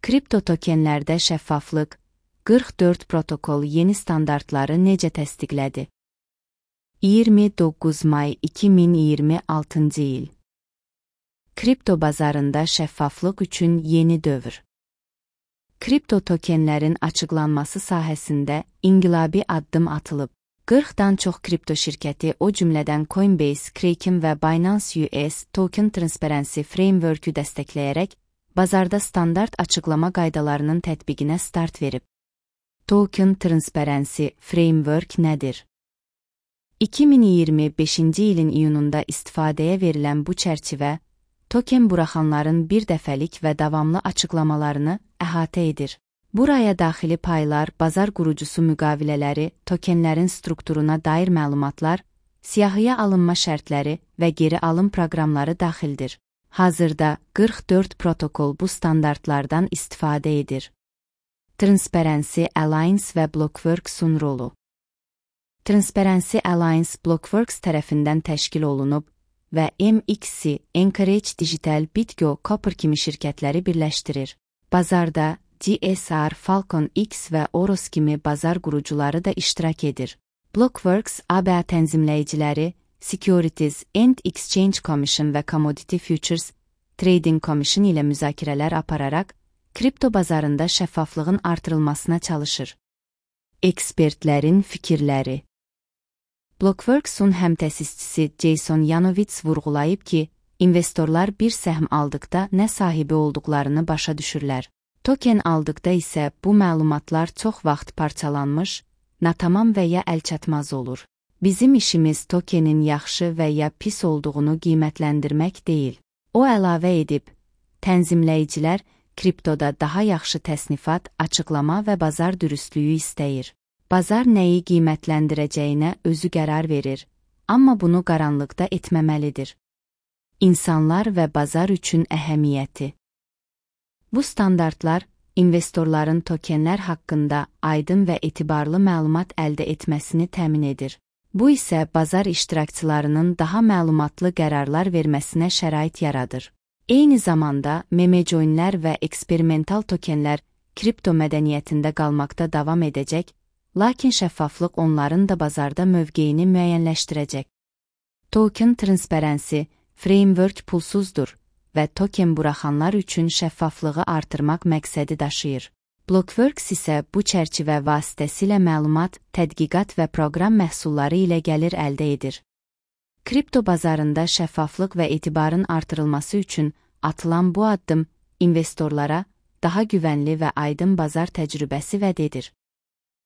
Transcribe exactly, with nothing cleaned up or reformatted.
Kripto tokenlərdə şəffaflıq, qırx dörd protokol yeni standartları necə təsdiqlədi? iyirmi doqquz may iki min iyirmi altıncı il. Kripto bazarında şəffaflıq üçün yeni dövr. Kripto tokenlərin açıqlanması sahəsində inqilabi addım atılıb. qırxdan çox kripto şirkəti, o cümlədən Coinbase, Kraken və Binance U S Token Transparency Framework-ü dəstəkləyərək bazarda standart açıqlama qaydalarının tətbiqinə start verib. Token Transparency Framework nədir? iki min iyirmi beşinci ilin iyununda istifadəyə verilən bu çərçivə, token buraxanların bir dəfəlik və davamlı açıqlamalarını əhatə edir. Buraya daxili paylar, bazar qurucusu müqavilələri, tokenlərin strukturuna dair məlumatlar, siyahıya alınma şərtləri və geri alım proqramları daxildir. Hazırda qırx dörd protokol bu standartlardan istifadə edir. Transparency Alliance və Blockworks-un rolu. Transparency Alliance Blockworks tərəfindən təşkil olunub və M X C, Anchorage Digital, BitGo, Copper kimi şirkətləri birləşdirir. Bazarda D S R, Falcon X və Oros kimi bazar qurucuları da iştirak edir. Blockworks, A B A tənzimləyiciləri, Securities and Exchange Commission və Commodity Futures Trading Commission ilə müzakirələr apararaq, kripto bazarında şəffaflığın artırılmasına çalışır. Ekspertlərin fikirləri. Blockworks-un həmtəsisçisi Jason Yanovitz vurğulayıb ki, investorlar bir səhm aldıqda nə sahibi olduqlarını başa düşürlər. Token aldıqda isə bu məlumatlar çox vaxt parçalanmış, natamam və ya əlçatmaz olur. Bizim işimiz tokenin yaxşı və ya pis olduğunu qiymətləndirmək deyil. O əlavə edib, tənzimləyicilər kriptoda daha yaxşı təsnifat, açıqlama və bazar dürüstlüyü istəyir. Bazar nəyi qiymətləndirəcəyinə özü qərar verir, amma bunu qaranlıqda etməməlidir. İnsanlar və bazar üçün əhəmiyyəti. Bu standartlar, investorların tokenlər haqqında aydın və etibarlı məlumat əldə etməsini təmin edir. Bu isə bazar iştirakçılarının daha məlumatlı qərarlar verməsinə şərait yaradır. Eyni zamanda, memecoinlər və eksperimental tokenlər kripto mədəniyyətində qalmaqda davam edəcək, lakin şəffaflıq onların da bazarda mövqeyini müəyyənləşdirəcək. Token Transparency Framework pulsuzdur və token buraxanlar üçün şəffaflığı artırmaq məqsədi daşıyır. Blockworks isə bu çərçivə vasitəsilə məlumat, tədqiqat və proqram məhsulları ilə gəlir əldə edir. Kripto bazarında şəffaflıq və etibarın artırılması üçün atılan bu addım investorlara daha güvənli və aydın bazar təcrübəsi vəd edir.